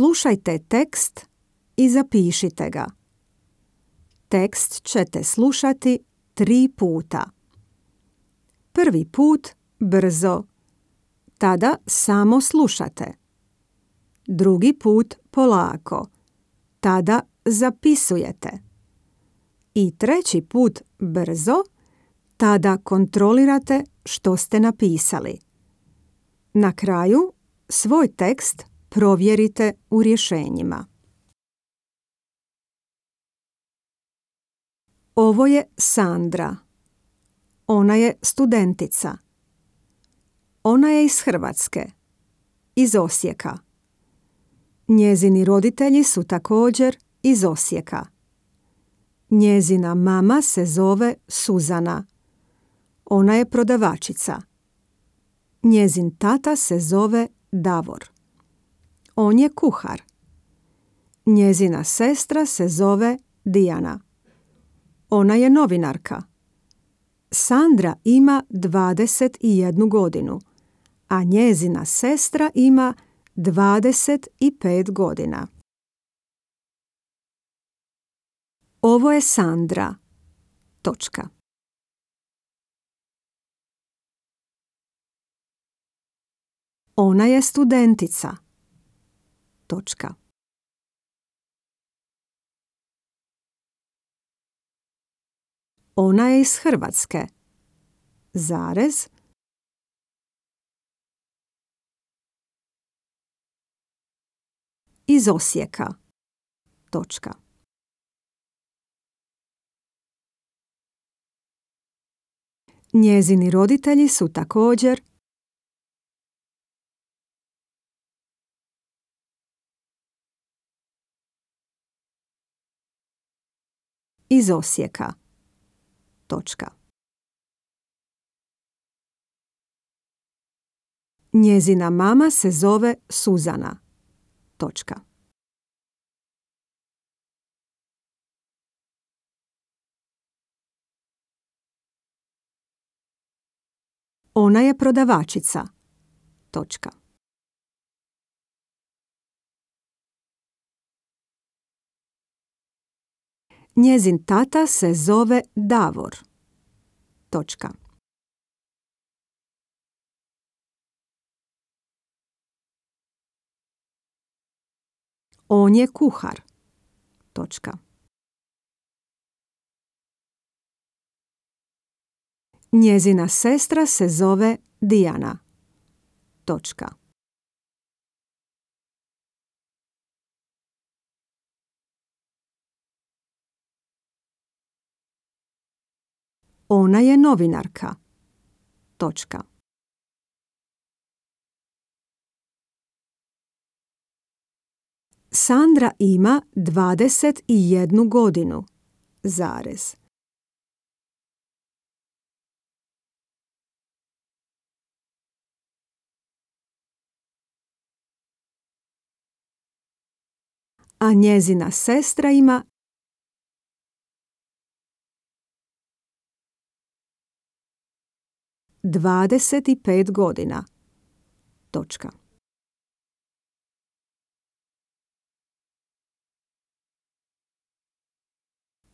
Slušajte tekst i zapišite ga. Tekst ćete slušati 3 puta. Prvi put brzo, tada samo slušate. Drugi put polako, tada zapisujete. I treći put brzo, tada kontrolirate što ste napisali. Na kraju svoj tekst provjerite u rješenjima. Ovo je Sandra. Ona je studentica. Ona je iz Hrvatske, iz Osijeka. Njezini roditelji su također iz Osijeka. Njezina mama se zove Suzana. Ona je prodavačica. Njezin tata se zove Davor. On je kuhar. Njezina sestra se zove Dijana. Ona je novinarka. Sandra ima 21 godinu, a njezina sestra ima 25 godina. Ovo je Sandra. Točka. Ona je studentica. Točka. Ona je iz Hrvatske. Zarez. Iz Osijeka. Točka. Njezini roditelji su također iz Osijeka. Točka. Njezina mama se zove Suzana. Točka. Ona je prodavačica. Točka. Njezin tata se zove Davor. Točka. On je kuhar. Točka. Njezina sestra se zove Dijana. Točka. Ona je novinarka. Točka. Sandra ima 21 godinu. Zarez. A njezina sestra ima 25 godina. Točka.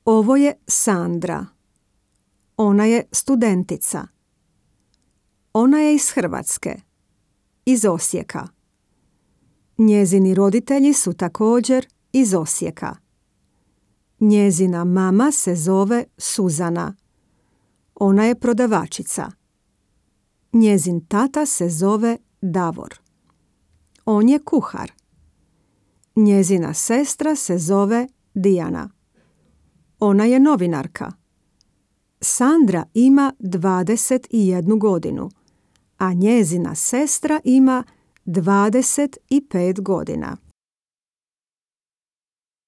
Ovo je Sandra. Ona je studentica. Ona je iz Hrvatske, iz Osijeka. Njezini roditelji su također iz Osijeka. Njezina mama se zove Suzana. Ona je prodavačica. Njezin tata se zove Davor. On je kuhar. Njezina sestra se zove Dijana. Ona je novinarka. Sandra ima 21 godinu, a njezina sestra ima 25 godina.